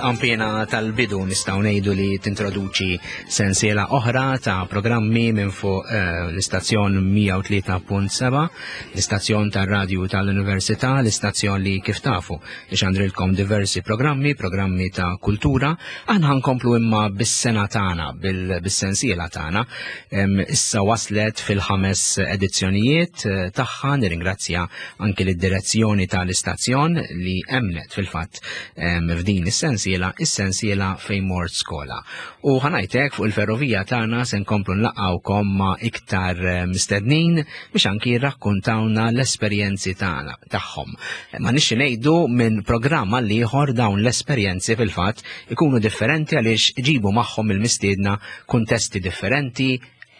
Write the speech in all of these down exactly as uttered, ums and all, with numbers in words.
Il-qampina tal-bidu nistgħu ngħidu li tintroduċi sensiela oħra ta' programmi minn fuq eh, l-istazzjon mija u tlieta punt seba', l-istazzjon tar-radju tal-Università, l-istazzjon li, kif tafu, ixandrilkom diversi programmi, programmi ta' kultura. Aħna ħa nkomplu imma bis-sena tagħna, bis-sensiela tagħna. Issa waslet fil-ħames edizzjonijiet eh, tagħha. Nirringrazzja anki lid-direzzjoni tal-istazzjon li emnet fil-fatt f'din is-sensiela, is-sensiela Fejn Mort Skola. U ħa ngħidlek, fuq il-ferrovija tagħna se nkomplu nlaqgħukom ma' iktar eh, mistednin biex anki jirrakkuntawna l-esperjenzi tagħna tagħhom. Ma nixxi ngħidu, minn programm għal ieħor dawn l-esperjenzi fil-fatt ikunu differenti għaliex ġibu magħhom il-mistiedna kuntesti differenti,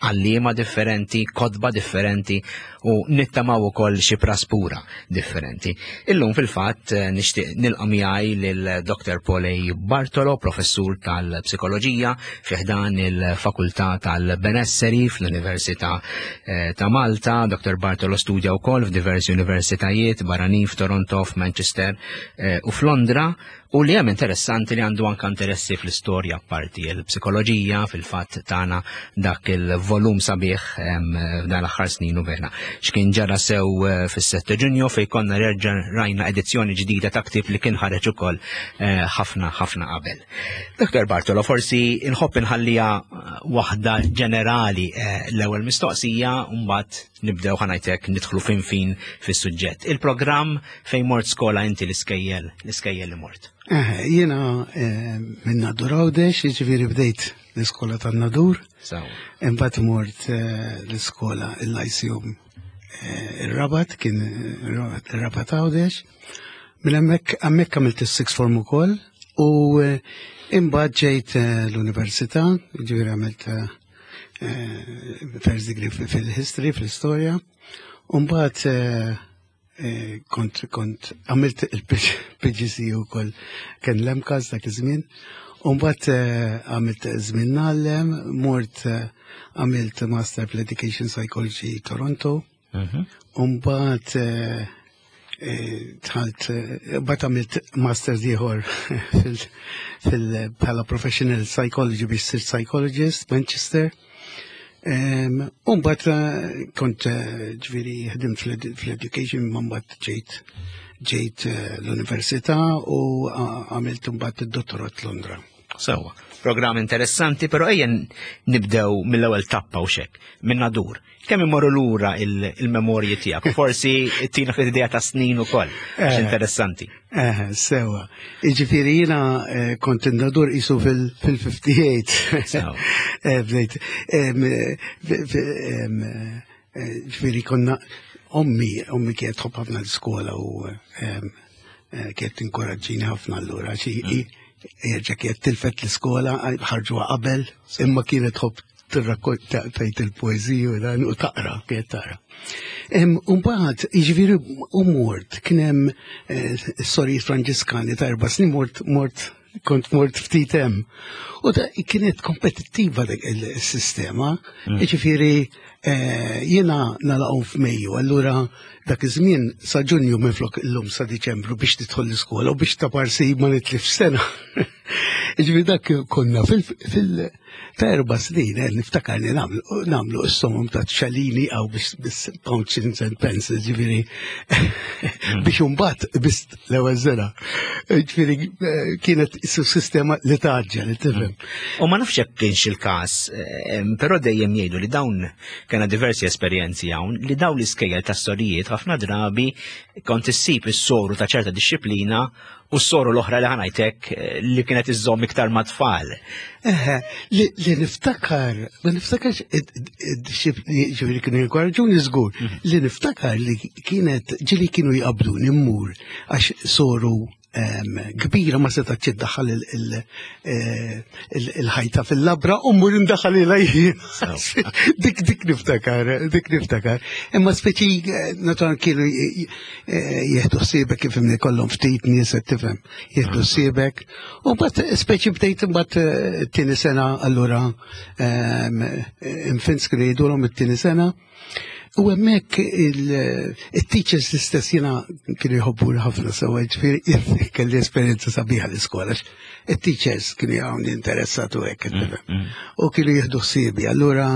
għalliema differenti, kotba differenti u nittamaw ukoll xi praspura differenti. Illum fil-fatt eh, nixtieq nilqa' miegħi lil Doctor Paul A. Bartolo, professur tal-psikoloġija fi ħdan il-Fakultà tal-Benesseri fl-Università eh, ta' Malta. Doctor Bartolo studja wkoll f'diversi universitajiet barranin, f'Toronto, f'Manchester eh, u f'Londra, u li hemm interessanti li għandu anka interessi fl-istorja parti il-psikoloġija. Fil-fatt tana dak il-volum sabiħ f'dan l-aħħar snin u vera. X'kien ġara sew eh, fis-sette Ġunju, fej konna reġa' rajna edizzjoni ġdida ta' ktieb li kien ħareġ ukoll eh, ħafna ħafna qabel. Doctor Bartolo, forsi inħobb inħallija eh, waħda ġenerali l-ewwel mistoqsija u mbagħad nibdew, ħa ngħidlek, nidħlu fin fin fis-suġġett. Il-programm Fejn Mort Skola, inti l-iskejjel, l-iskejjel li mort. Jiena minn Nadur Għawdex, jiġifieri bdejt l-iskola tan-Nadur. Imbagħad mort l-iskola, il-Lyceum ir-Rabat, kien ir-Rabat Għawdex. Minn hemmhekk hemmhekk għamilt is-sixth form ukoll u imbagħad ġejt l-università, ġifieri għamilt first degree fil-history, fil-istorja. U mbagħad kont kont għamilt il-P G C E ukoll, kien l-MCAST dak iż-żmien. U mbagħad għamilt żmien ngħallem, mort għamilt Master fl-Education Psychology Toronto. U mbagħad dħalt, mbagħad għamilt master ieħor fil bħala professional psychology biex sirt psychologist Manchester. U mbagħad kont, ġifieri, ħdimt fl-education, ma mbagħad ġejt ġejt l-università u għamilt mbagħad id-dottorat Londra. Sewa, programm interessanti, però ejja nibdew mill-ewwel tappa u xek, minn Nadur. Kemm imorru lura il-memorji tiegħek? Forsi tina fl-idea ta' snin ukoll, għax interessanti. Eh, sewa. Jiġifieri jiena kont in-Nadur qisu fil-ħamsa u ħamsin. Bdejt. Ġifieri konna, ommi, ommi kienet tħobb ħafna l-iskola u kienet tinkoraġġini ħafna allura. Jerġa' kienet tilfet l-iskola, ħarġuha qabel, imma kienet tħobb tirrakkonta, tgħid il-poeżiji u dan u taqra, kienet taqra. Umbagħad, jiġifieri, u mort, kien hemm sorijiet Franġiskani ta' erba' snin, mort mort kont mort ftit hemm. U da kienet kompetittiva dik il-sistema, jiġifieri jiena nagħlaqhom f'Mejju, allura dak iż-żmien sa Ġunju minflok illum sa Diċembru biex tidħol l-iskola u biex taparsi ma nitlif sena. Ġifieri dak konna fil ta' erba' snin, eh, niftakar li nagħmlu s-somom ta' ċalini għaw biex pounds and pence, ġifieri biex imbagħad biss l-ewwel sena. Ġifieri kienet sistema li taġġa li tifhem. U ma nafx jekk kienx il-każ, però dejjem jgħidu li dawn kena diversi esperjenzi hawn, li dawn l-iskejjel tas-sorijiet ħafna drabi kont issib is-soru ta' ċerta disċiplina u s-soru l-oħra li, ħa ngħidlek, li kienet iżżomm iktar ma' tfal. Eħe, li niftakar, ma niftakarx id-disciplini, ġifieri kienu jinkoraġġuni żgur, li niftakar li kienet ġieli kienu jqabduni mmur għax soru kbira ma setax iddaħħal il-ħajta fil-labra u mmur indaħħal ilha jien. Dik dik niftakar, dik niftakar. Imma speċi naturalment kienu jieħdu ħsiebek, kif kollhom ftit nies, qed tifhem, jieħdu ħsiebek. U mbagħad speċi bdejt imbagħad t-tieni sena, allura infants kienu jgħidulhom it-tieni sena. U hemmhekk il-teachers l-istess jiena kienu jħobbu ħafna sewa, ġifieri kelli esperjenza sabiħa l-iskola. Il-teachers kienu jgħawni interessatu hekk. Mm, mm. U kienu jieħdu ħsiebi. Allura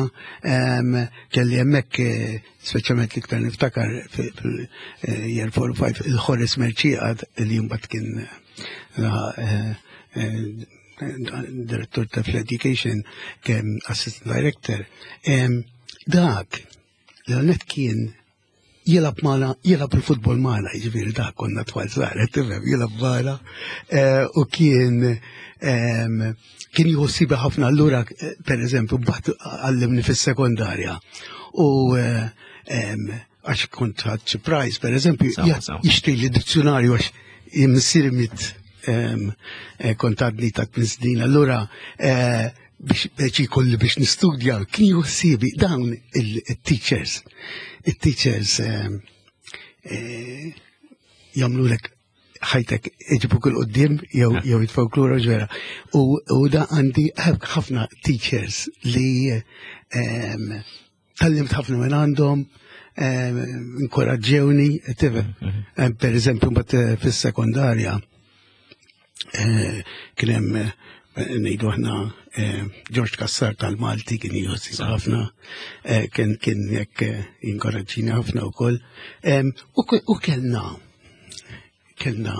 kelli hemmhekk, eh, speċjalment l-iktar niftakar fil-year four five, il-Horace Mercieca, li mbagħad kien eh, eh, direttur ta' education, kien assistant director. Dak, l-għonet kien jilgħab magħna, jilgħab il-futbol magħna, ġifieri dak konna tfal żgħar, tifhem, jilgħab magħna, eh, u kien kien jħossibi ħafna. Allura, eh, per eżempju, mbagħad għallimni fis-sekondarja. U eh, għax kont ħadt prize, per eżempju, jixtri li dizzjonarju għax missieri miet kont għadni ta' snin. Allura biex biex jkolli biex nistudja, kien jħossibi dawn il-teachers. Il-teachers eh, jagħmlulek ħajtek, iġibuk 'il quddiem jew jew jitfgħuk lura ġwera. U da għandi ħafna teachers li tgħallimt ħafna minn għandhom, inkoraġġewni, tifhem. Mhm. Per eżempju, mbagħad fis-sekondarja eh, kien hemm, ngħidu aħna, eh, George Cassar tal-Malti kien jħossi ħafna, eh, kien kien jekk eh, jinkoraġġini ħafna wkoll. U kellna kellna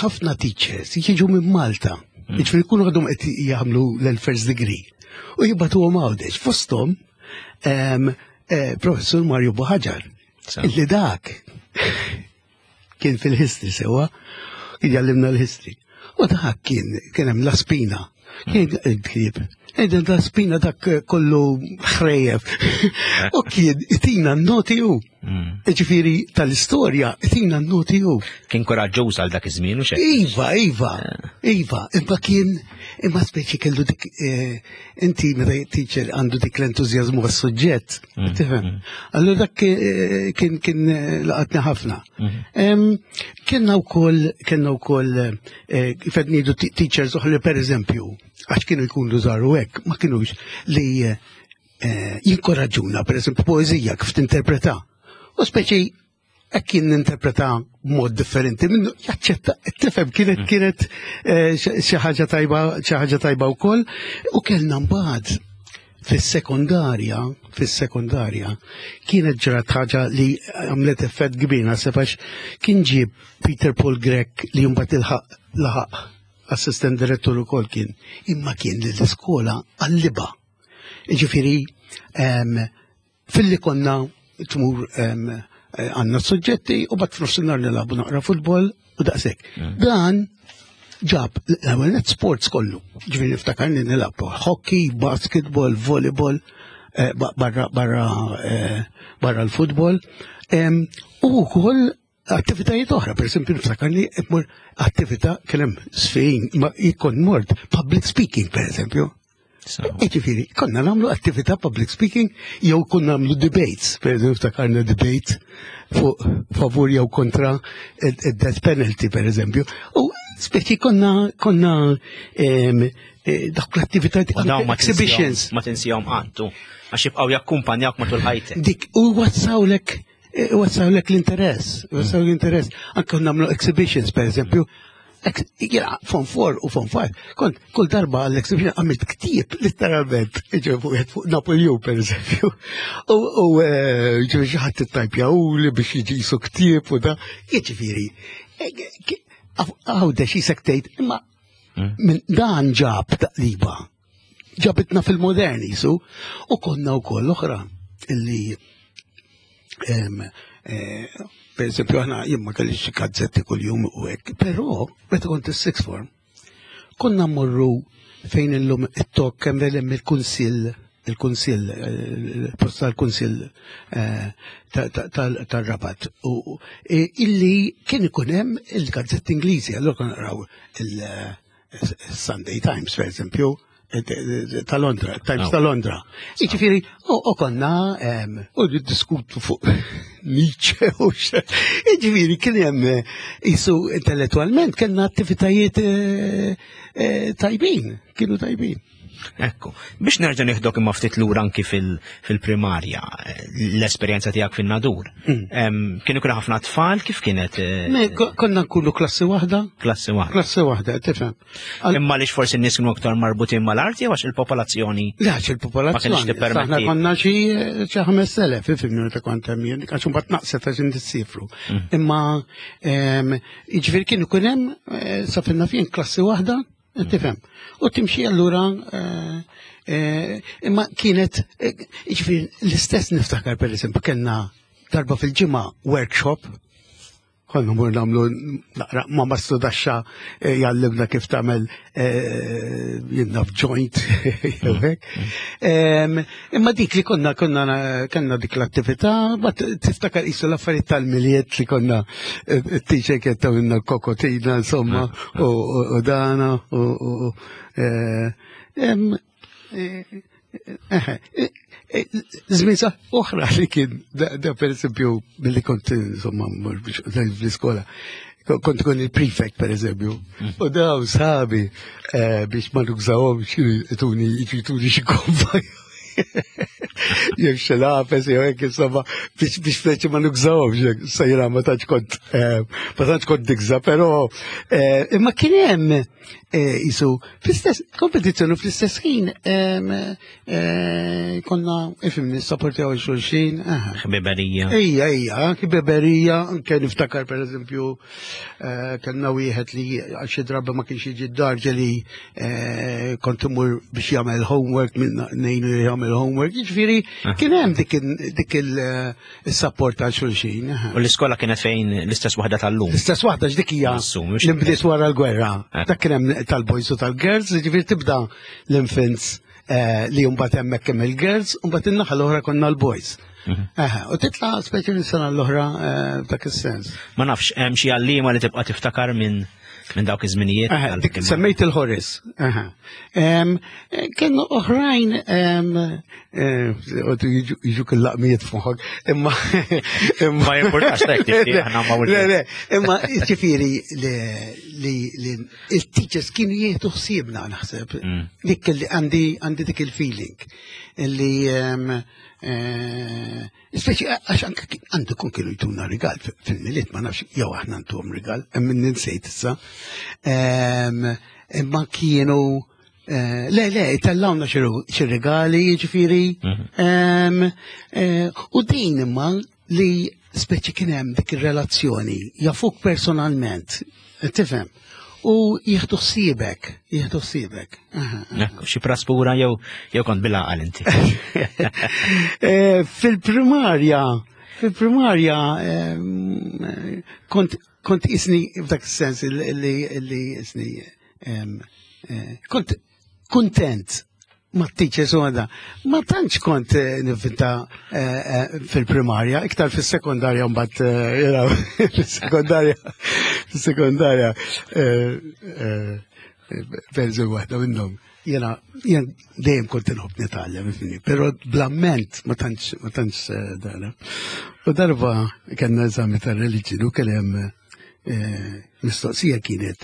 ħafna teachers jiġu minn Malta, mm. Jiġifieri jkunu għadhom qed jagħmlu l-first degree u jibagħtuhom Għawdex. Fosthom Professur Mario Buhagiar, illi dak kien fil-history sewa, kien jgħallimna l-history. U dak kien kien hemm la spina. Kien il-ktieb. Ejden la spina dak kollu ħrejjef. U kien itina n-noti u. Mm. Ġifieri tal-istorja itina n-noti u. Kien koraġġuż għal dak iż-żmien u xejn. Iva, iva, iva, imma kien, imma speċi kellu dik, eh, inti meta teacher għandu dik l-entużjażmu għas-suġġett, mm, tifhem? Mm. Allura dak eh, kien kien eh, laqatni ħafna. Em, Kellna wkoll kellna wkoll eh, kif qed ngħidu teachers oħra, per eżempju, għax kienu jkunu żaru hekk, ma kienux li eh, jinkoraġġuna, per eżempju, poeżija kif tinterpreta. U speċi hekk kien ninterpreta b'mod differenti minnu, jaċċetta, tifhem, kienet kienet eh, xi ħaġa tajba, xi ħaġa tajba wkoll. U kellna mbagħad fis-sekondarja, fis-sekondarja kienet ġrat ħaġa li għamlet effett kbir naħseb, għax kien ġib Peter Paul Grech, li mbagħad ilħaq laħaq assistant direttur ukoll kien, imma kien li l-iskola għalliba. Ġifieri em, filli konna tmur em, eh, għandna suġġetti u mbagħad f'nofsinhar nilagħbu naqra futbol u daqshekk. Dan ġab l-ewwel net sports kollu. Ġifieri niftakarni nilgħab hockey, basketball, volleyball, eh, ba- barra barra eh, barra l-futbol. Em, U wkoll attivitajiet oħra, per esempio niftakarni mmur attività, kien hemm sfin, ma jkun mort public speaking, per eżempju. Ġifieri, konna nagħmlu attività public speaking jew konna nagħmlu debates, per eżempju ftakarna debate fuq favur jew kontra il-death penalty, per eżempju. U speċi konna konna em, eh, dak l-attivitajiet, U dawn ma exhibitions. tinsihom- ma tinsihom qatt, għax jibqgħu jakkumpanjawk matul ħajtek. Dik, u wassawlek eh, wassawlek l-interess, wassawlek l-interess. Anke nagħmlu exhibitions, per eżempju, ex- jena, Form four u Form five, kont kull darba għall-exhibition għamilt ktieb, literalment, ġe fuq fuq Napoleon, per eżempju. U, u eh, ġe xi ħadd ittajpja u li biex jiġi jisu ktieb u da, jiġifieri, għawda xi sektejt, imma minn dan ġab taqliba. Ġabitna fil-moderni, su, u konna u koll oħra illi em, eh, per eżempju, aħna jien ma kellix xi gazzetti kuljum u hekk, però meta kont is-sixth form, konna mmorru fejn illum it-tok hemm hemm il-kunsill il-kunsill, eh, il-post tal-kunsill eh, ta- ta- tal- tal-Rabat u eh, illi kien ikun hemm il-gazzetti Ingliżi, allura konna naqraw il-Sunday Times, per eżempju, ta' Londra, Times Oh. ta' Londra. Jiġifieri, u u konna em, u diskutu fuq Nietzsche u xe. Jiġifieri, kien hemm eh, isu intellettualment kellna attivitajiet eh, eh, tajbin, kienu tajbin. Ekku, biex nerġa' nieħdok imma ftit lura anki fil-primarja, l-esperjenza tiegħek fin-Nadur. Mm. Kienu kienu ħafna tfal, kif kienet? Eh, konna nkunu klassi waħda. Klassi waħda. Klassi waħda, tifhem. Imma lix forsi n-nies kienu aktar marbutin mal-arti jew għax il-popolazzjoni? Le, għax il-popolazzjoni. Aħna konna xi xi ħames elef, ifhimni meta kont hemm jien, għax imbagħad naqset għax intissifru. Mm. Imma jiġifieri kienu kien hemm eh, sa finna fien klassi waħda. Tifhem. U timxi allura eh, eh, imma kienet eh, jiġifieri l-istess niftakar per eżempju kellna darba fil-ġimgħa workshop konna mur nagħmlu naqra ma mastru daxxa jgħallimna kif tagħmel jinnaf joint jew hekk. Imma dik li konna konna kellna dik l-attività, ma tiftakar qisu l-affarijiet tal-Milied li konna t-teacher kienet tagħmilna l-kokotina insomma u dana u Żmien sa oħra li kien da per eżempju billi kont insomma fl-iskola kont ikun il-prefect per eżempju. U daw sabi biex ma nużawhomx ituni jituni xi kompa. Jekk xi lapes jew hekk insomma biex biex speċi ma nużawhomx jekk sejra ma tantx kont ma tantx kont nikża, però imma kien hemm isu fl-istess kompetizzjoni fl-istess ħin konna ifhimni nissapportjaw xulxin. Ħbiberija. Ejja, ejja, ħbiberija, anke niftakar per eżempju kellna wieħed li għal xi drabi ma kienx jiġi d-dar ġeli kont imur biex jagħmel homework minn ngħinu jagħmel homework, jiġifieri kien hemm dik il-support għal xulxin. U l-iskola kienet fejn l-istess waħda tal-lum? L-istess waħda x'dik hija li nbdiet wara l-gwerra. Dak kien hemm tal-boys u tal-girls, jiġifieri tibda l-infants li mbagħad hemmhekk hemm il-girls, u mbagħad in-naħa l-oħra konna l-boys. U titla' speċi minn sena l-oħra f'dak is-sens. Ma nafx, hemm xi għalliema li tibqa' tiftakar minn minn dawk iż-żminijiet? Semmejt il-Horis. Kienu oħrajn jiġu il-laqmijiet f'moħħok, imma Ma jimpurtax tek aħna ma Le, le, imma ġifieri li il-teachers kienu jieħdu ħsiebna naħseb. Dik li għandi għandi dik il-feeling li speċi għax anke għandu kun kienu jtuna rigal fil-Milied, ma nafx jew aħna ntuhom rigal, hemm ninsejt issa. Imma kienu le, le, tellawna xi regali, ġifieri. U din imma li speċi kien hemm dik ir-relazzjoni, jafuk personalment, tifhem. U jieħdu ħsiebek, jieħdu ħsiebek. Xi praspura jew jew kont bil-għaqal inti? Fil-primarja, fil-primarja kont kont isni f'dak is-sens li li isni kont kontent ma teachers u għada. Ma tantx kont nivvinta fil-primarja, iktar fil-sekondarja mbagħad, fil-sekondarja, fil-sekondarja, per waħda minnhom. Jena, jena dejjem kont inħobb nitgħallem, ifhimni, però bl-amment ma tantx ma tantx dana. U darba kellna eżami ta' reliġjon u kien hemm mistoqsija kienet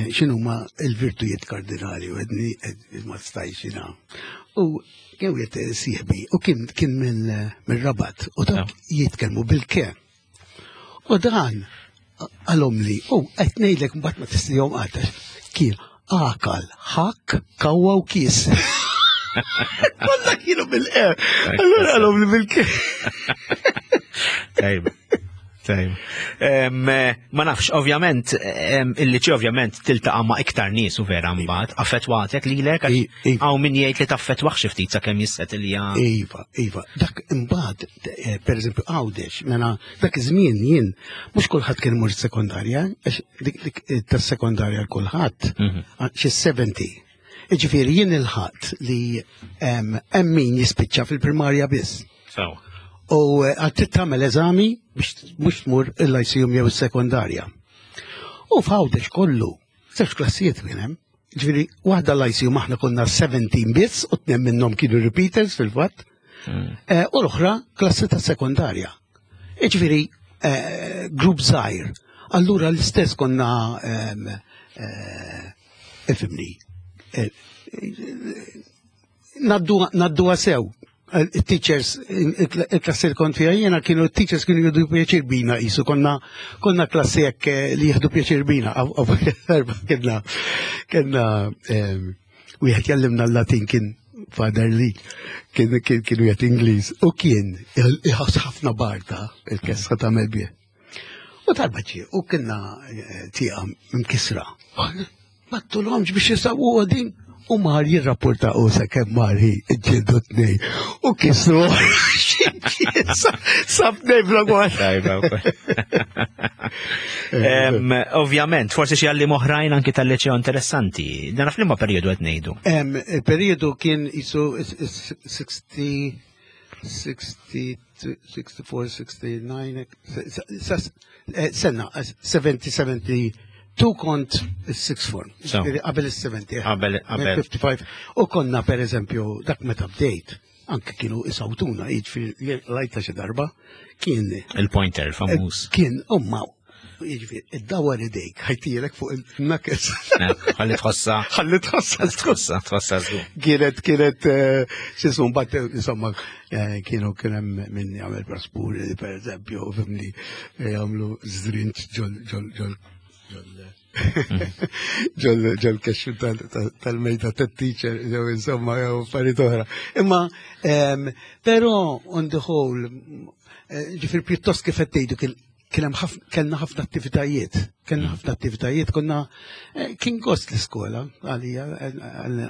x'inhuma l-virtujiet kardinali u għedni ma stajx jiena. U kien wieħed sieħbi u kien kien mill-Rabat u dak jitkellmu bil-ke. U dan qalhom li, u qed ngħidlek mbagħad ma tistihom qatt kien akal, ħakk, kawwa u kies. Kollha kienu bil-e. Allura qalhom li bil-ke. Tajba. Tajba. Ma nafx, ovvjament, il-liċi ovvjament tiltaqa' ma' iktar nies u vera mbagħad, affettwatek lilek hawn min jgħid li taffettwah xi ftit sakemm jissetilja. Iva, iva. Dak imbagħad, per eżempju, Għawdex, mela dak iż-żmien jien mhux kulħadd kien imur sekondarja, għax dik tas-sekondarja l kulħadd xi sebgħin. Ġifieri jien il-ħadd li hemm min jispiċċa fil-primarja biss. U għad trid tagħmel eżami biex mhux tmur il-lyceum jew is-sekondarja. U f'Għawdex kollu, żewġ klassijiet kien hemm. Ġifieri waħda l-lyceum aħna konna sebgħin biss u tnejn minnhom kienu repeaters fil-fatt. U l-oħra klassi ta' sekondarja. Ġifieri grupp żgħir. Allura l-istess konna ifhimni. eh, Ngħadduha sew. Il-teachers, il-klassi li kont fija jena kienu teachers kienu jieħdu pjaċir bina jisu, konna konna klassi hekk eh, li jieħdu pjaċir bina. Kellna, kellna wieħed jgħallimna l-Latin, kien Father li kien kien kien wieħed Ingliż u kien iħoss ħafna barta il-kesħa tagħmel bih. U darba ġie u kellna eh, tieqa mkisra. Ma tulhomx biex jisawwu din u mar jirrapporta u sa kemm mar hi ġildu tnej u kisru sab tnej bla. Tajba wkoll. Em, Ovvjament, forsi xi għalliem oħrajn anki tal-liċeo interessanti. Dan f'liema perjodu qed ngħidu? Em, il-periodu kien jisu sittin, sittin, sitta u sittin, sitta u sebgħin, eh, sena, sebgħa u sebgħin, sebgħa u sebgħin kont il-sixth form. So. Ġifieri qabel il-sebgħin. Qabel- qabel. ħamsa u ħamsin. U konna, per eżempju, dak meta bdejt, anke kienu isawtuna, jiġifieri lajta xi darba, kien Il-pointer famuż. Kien, umma, jiġifieri, id-dawar idejk, ħa jtihulek fuq il-knuckles. Eh, ħalli tħossa. Ħalli tħossa. Tħossa, tħossa żgur. Kienet, kienet, eh, x'jismu, mbagħad, insomma, eh, kienu kien hemm min jagħmel praspuri, per eżempju, fimni, eh, jagħmlu żrinġ ġol, ġol, ġol, ġol, ġol, ġol kexxu tal-mejda tat-teacher, jew insomma, jew affarijiet oħra. Imma, em, però, on the whole, eh, ġifieri pjuttost kif qed tgħidu kien kien hemm ħafna, kellna ħafna attivitajiet, kellna ħafna attivitajiet, konna eh, kien gost l-iskola għalija,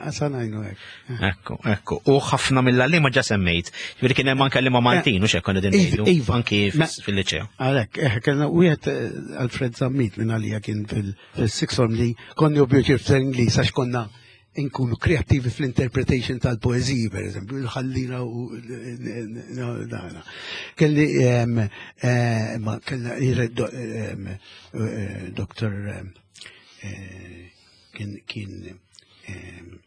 għasan għajnu hekk. Ekku, ekku. U ħafna mill-għalliema ġa semmejt. Ġifieri kien hemm anke għalliema Maltin, u x'hekk konna din Iva, ngħidu. iva. Anki Ma- fil-liċeo. Għalek, eh, kellna wieħed eh, Alfred Zammit minn għalija kien fil-sixth form li konni u pjaċir fl-Ingliż għax konna nkunu kreativi fl-interpretation tal-poeziji, per eżempju, ħallina u dana. Kelli, em, eh, ma kellna em, eh, Doktor em, eh, kien kien em,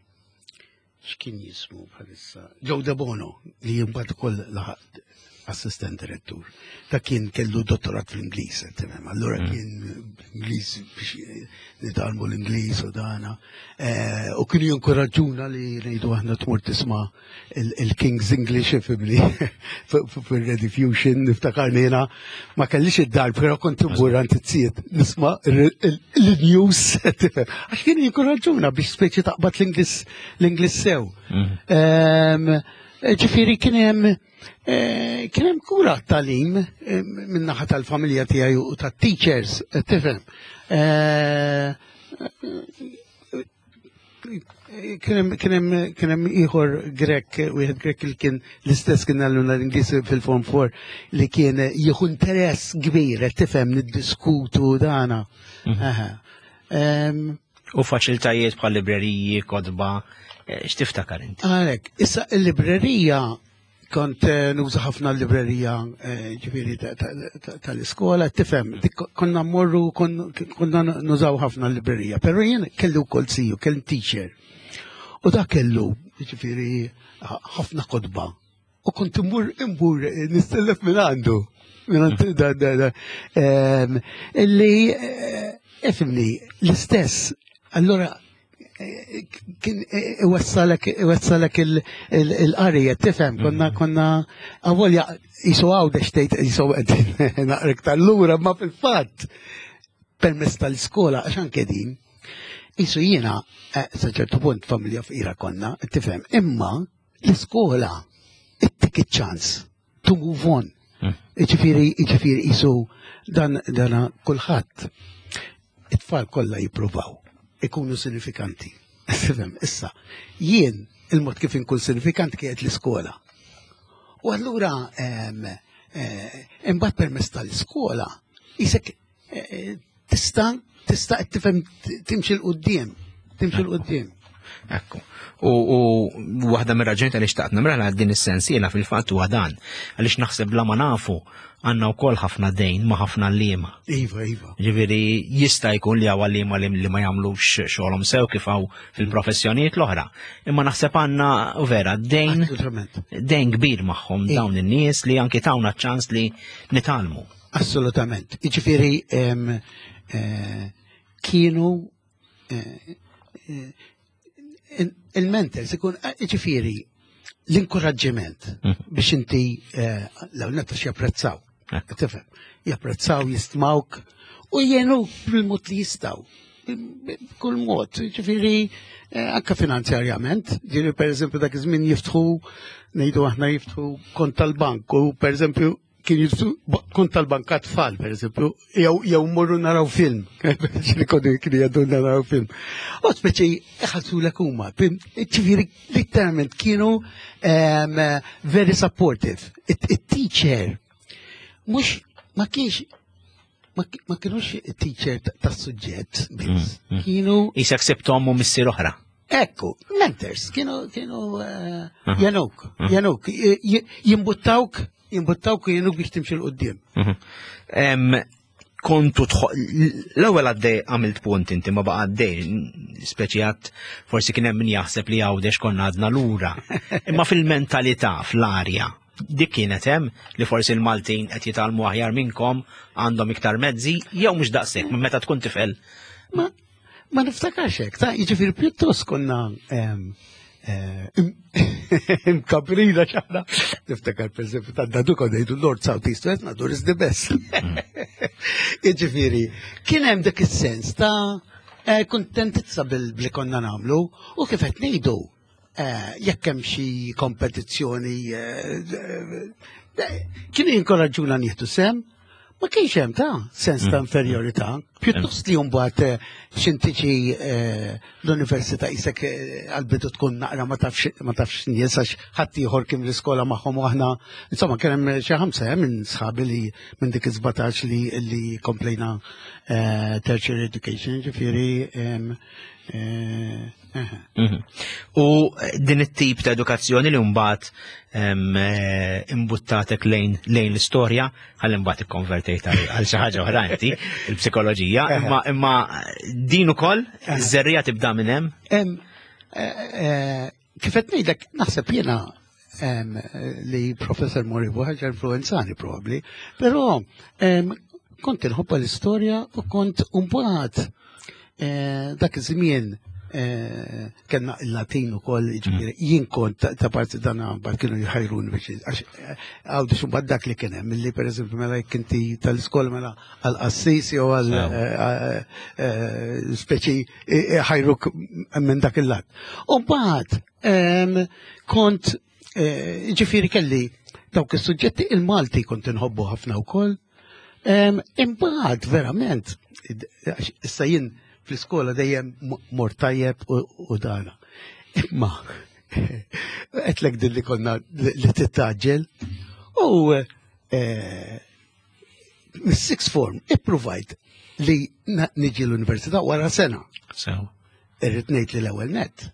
x'kien jismu bħalissa? Joe De Bono, li mbagħad ukoll laħaq assistent direttur. Ta' kien kellu dottorat fl-Ingliż, tifhem. Allura kien Ingliż biex nitgħallmu l-Ingliż u dana. Eh, U kienu jinkoraġġuna li ngħidu aħna tmur tisma' il- il-King's English, ifhimni, fil-Rediffusion, niftakarni jiena ma kellix id-dar, però kont immur għand iz-zijiet nisma' il-news, tifhem. Għax kienu jinkoraġġuna biex speċi taqbad l-Ingliż l-Ingliż sew. Ehm, Ġifieri kien hemm eh, kien hemm kura talim minn naħa tal-familja tiegħi u tat-teachers, eh, tifhem. Eh, Kien hemm kien hemm kien hemm ieħor Grek, wieħed Grek li kien l-istess kien għalluna l-Ingliż fil-Form four li kien jieħu interess kbir, eh, tifhem, niddiskutu dana. Aha. Ehm, U faċilitajiet bħal libreriji, kotba, eh, x'tiftakar inti? Għalek, issa il-librerija, kont eh, nuża ħafna l-librerija eh, ġifieri ta- ta- ta- tal-iskola, tifhem, dik konna mmorru, kon- konna nużaw ħafna l-librerija, pero jien kellu wkoll ziju, kellu teacher. U da kellu, ġifieri, ħafna kotba. U kont immur immur eh, nistellef minn għandu. Minn għandu da, da, da. Ehm, Illi, eh, ifhimni, l-istess, allora eh, kien iwassalek iwassalek il-qarija, tifhem, konna konna avolja jisu għawdex tgħid jisu naqrek tal-lura, ma fil-fatt permezz tal-iskola, għax anke din, jisu jiena, eh, sa ċertu punt familja fqira konna, tifhem, imma l-iskola ittik ċans to move on. Ġifieri, ġifieri, jisu dan dana kulħadd, it-tfal kollha jippruvaw ikunu sinifikanti. Tifhem, issa, jien il-mod kif inkun sinifikanti kienet l-iskola. U allura em, eh, imbagħad permezz tal-iskola isek eh, tista' tista' tifhem timxi 'l quddiem, timxi 'l quddiem. Ekku. U, u waħda mir-raġuni tal xtaqt nagħmilha din is-sensiela fil-fatt huwa dan. Għaliex naħseb bla ma nafu għandna wkoll ħafna dejn ma' ħafna għalliema. Iva, iva. Ġifieri jista' jkun li hawn għalliema li li ma jagħmlux xogħolhom sew kif hawn fil-professjonijiet l-oħra. Imma naħseb għandna vera dejn Assolutament. dejn kbir magħhom Iva. dawn in-nies li anki tawna ċans li nitgħallmu. Assolutament. Ġifieri em, eh, kienu eh, eh, Il-mentors ikun, ġifieri, l-inkoraġġiment Mhm. biex inti l-għalnetta japprezzaw. Tifhem, japprezzaw, jistmawk u jgħinu bil-mod li jistgħu. Kull mod, ġifieri, anka finanzjarjament, ġifieri per eżempju dak iż-żmien jiftħu, ngħidu aħna jiftħu kont tal-bank u per eżempju kien jiftħu kont tal-bank tfal, per eżempju, jew jew morru naraw film, li konu kienu jgħaddu naraw film. U speċi iħallsulek huma, ġifieri literalment kienu um, very supportive. It-teacher mhux ma kienx ma ma kienux teacher tas-suġġett biss. Mm, mm. Kienu Isek sibt omm u missier oħra. Ekku, mentors, kienu, kienu uh, Aha. jgħinuk, jgħinuk, jimbuttawk, jimbuttawk u jgħinuk biex timxi 'l quddiem. Mhm. Em, Kontu tħo- l-ewwel għaddej għamilt punt inti ma baqa għaddej, speċi għat forsi kien hemm min jaħseb li Għawdex konna għadna lura. Imma fil-mentalità, fl-arja, dik kienet hemm li forsi l-Maltin qed jitgħallmu aħjar minnkom, għandhom iktar mezzi, jew mhux daqshekk, minn meta tkun tifel. Ma, ma niftakarx hekk, ta' jiġifieri pjuttost konna em, eh, imkabrina ċaħna. Niftakar per eżempju ta' dadu konna jgħidu North South East West, Nadur is the best. Jiġifieri, kien hemm dak is-sens ta' eh, kuntentizza bil-li konna nagħmlu u kif qed ngħidu eh, jekk hemm xi kompetizzjoni eh, eh, kienu jinkoraġġuna nieħdu sehem, ma kienx hemm ta' sens ta' inferjorità. Pjuttost li mbagħad eh, x'intiġi eh, l-università isek eh, għal-bidu tkun naqra ma tafx ma tafx nies għax ħadd ieħor kien l-iskola magħhom u aħna insomma kien hemm xi ħamsa eh, minn sħabi li minn dik is-sbatax li li komplejna eh, tertiary education, ġifieri em, eh, eh. Mhm. U din it-tip ta' edukazzjoni li mbagħad em, eh, imbuttatek lejn lejn l-istorja, ħalli mbagħad ikkonvertejt għal għal xi ħaġa oħra inti, il-psikoloġija, imma imma din ukoll iż-żerriegħa tibda minn hemm. Em, eh, eh, Kif qed ngħidlek, naħseb jiena em, li Professor Moribu ħaġa influenzani probabbli, però em, kont inħobba l-istorja u kont mbagħad eh, dak iż-żmien eh, kellna il-Latin ukoll, ġifieri, jien kont ta- ta' parti dan mbagħad kienu jħajruni biex għax eh, Għawdex mbagħad dak li kien hemm, illi pereżempju mela jekk inti tal-iskola mela għal-qassis jew għal Sew. eh, eh, speċi eh, ħajruk minn dak il-lat. U mbagħad em, kont eh, ġifieri kelli dawk is-suġġetti il-Malti kont inħobbu ħafna wkoll. Em, Imbagħad verament, id- għax issa jien fl-iskola dejjem m- mort tajjeb u u dana. Imma għedtlek din li konna li li tittaġġel u eh, mis-sixth form ippruvajt li na- niġi l-università wara sena. Sew. Irrid ngħid li l-ewwel net.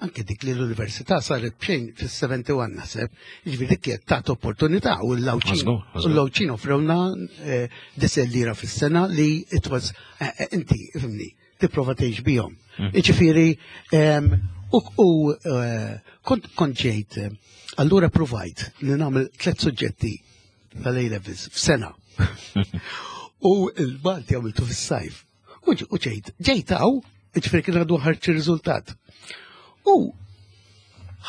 Anke dik li l-università saret b'xejn fis-sebgħa u sebgħin naħseb, jiġifieri dik kienet tat opportunità u l-Għawdxin Żgur, u żgur. l-Għawdxin offrewna eh, disa' lira fis-sena li it was eh, eh, inti ifhimni tipprova tgħix bihom. Mm. Jiġifieri em, u u, eh, kont kont ġejt eh, allura provajt li nagħmel tliet suġġetti tal-A levels f'sena. U il-Malti għamiltu fis-sajf. U ġ- u ġejt, ġejt hawn, ġifieri kien għadu ħareġ ir-riżultat. U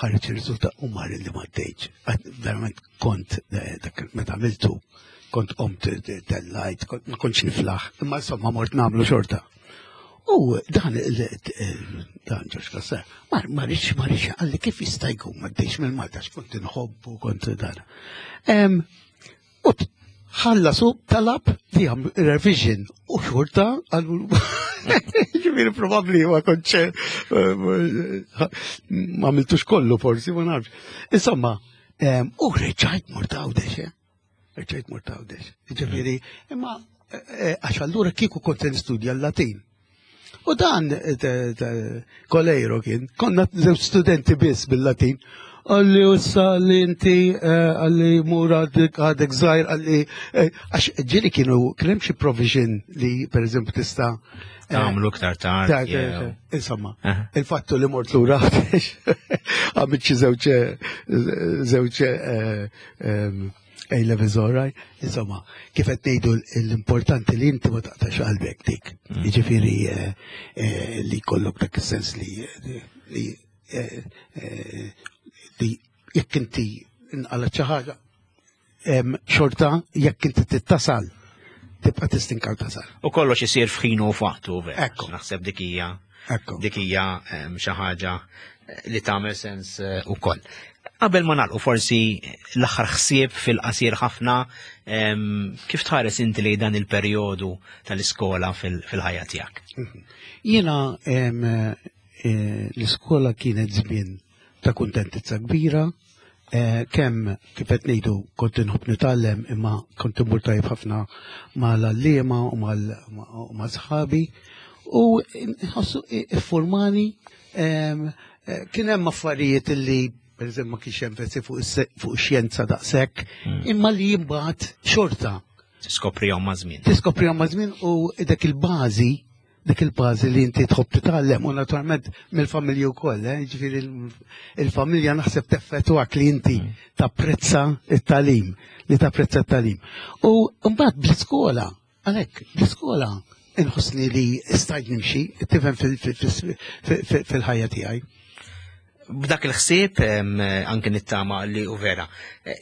ħareġ ir-riżultat u mar li ma għaddejtx. Għad- Verament kont, eh, dak meta għamiltu, kont qomt tellajt, kont- ma kontx niflaħ, imma insomma mort nagħmlu xorta. U dan il- il- dan Ġorġ Cassar, ma ma rridx ma rridx qalli kif jista' jkun ma għaddejx mill-Malta għax kont inħobbu kont dan. Em, U t- ħallasu talab li għam revision u xorta għallu ġifieri probabbli ma kontx eh, ma għamiltux kollu forsi ma nafx. Insomma, em, u reġajt mort Għawdex, eh? Reġajt mort Għawdex. Ġifieri, imma eh, eh, għax allura kieku kont nistudja l-Latin. U dan eh, te- te- Kolejro kien, konna żewġ studenti biss bil-Latin. Qalli issa li inti, eh, qalli mur għadek għadek żgħir, qalli, eh, għax ġieli kienu, kien hemm xi provision li per eżempju tista' eh, Tagħmlu iktar tard. ta' jew- Insomma, Aha. il-fattu li mort lura għamilt xi żewġ żewġ eh, em, A levels all right. Insomma, kif qed ngħidu l-importanti li inti ma taqtax qalbek dik. Jiġifieri eh, eh, li jkollok dak is-sens li li eh, eh, li jekk inti inqalat xi ħaġa xorta jekk inti tittasal tibqa' tistinkaw tasal. U kollox isir f'ħinu u f'waqtu vera. Naħseb dik hija dik hija xi ħaġa li tagħmel sens eh, ukoll. Qabel ma nagħlqu forsi l-aħħar ħsieb fil-qasir ħafna, kif tħares inti li dan il-perjodu tal-iskola fil-ħajja tiegħek? Mhm. Jiena eh, l-iskola kienet żmien ta' kuntentizza kbira, eh, kemm kif qed ngħidu kont inħobb nitgħallem imma kont immur tajjeb ħafna mal-għalliema u ma' sħabi u nħossu iffurmani eh, kien hemm affarijiet li per eżempju ma kienx enfasi fuq ix-xjenza daqshekk, hmm. imma li imbagħad xorta. Tiskoprihom ma' żmien. Tiskoprihom ma' żmien u dak il-bażi dik il-bażi li inti tħobb titgħallem u naturalment mill-familja wkoll, eh? Ġifieri il-familja naħseb teffettwak li inti hmm. tapprezza it-tagħlim, li tapprezza t-tagħlim. U mbagħad bl-iskola, għalhekk bl-iskola inħossni li stajt nimxi, tifhem fil-ħajja tiegħi. B'dak il-ħsieb anke nittama li u vera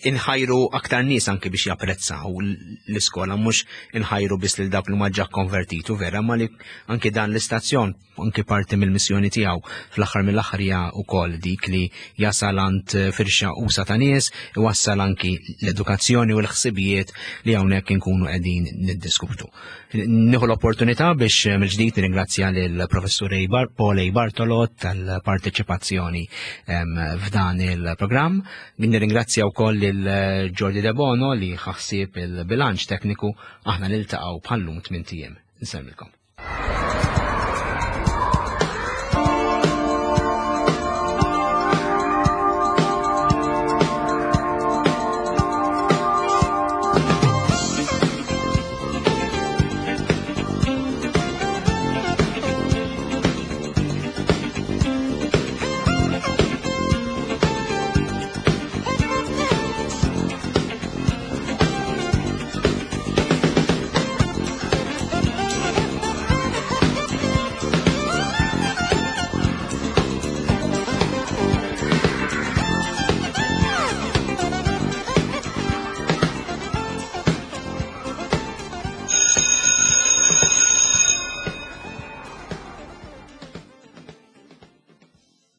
inħajru aktar nies anke biex japprezzaw l-iskola, mhux inħajru biss lil dawk li ma ġa konvertitu vera, ma li anke dan l-istazzjon anke parti mill-missjoni tiegħu fl-aħħar mill-aħħar hija wkoll dik li jasal għand firxa usa ta' nies, iwassal anki l-edukazzjoni u l-ħsibijiet li hawnhekk inkunu qegħdin niddiskutu. Nieħu l-opportunità biex mill-ġdid nirringrazzja lill-Professur Paul A. Bartolo tal-parteċipazzjoni f'dan il-programm. Nirringrazzja wkoll lil Jordi De Bono li ħa ħsieb il-bilanċ tekniku. Aħna niltaqgħu bħallum tmint ijiem. Nsellmilkom.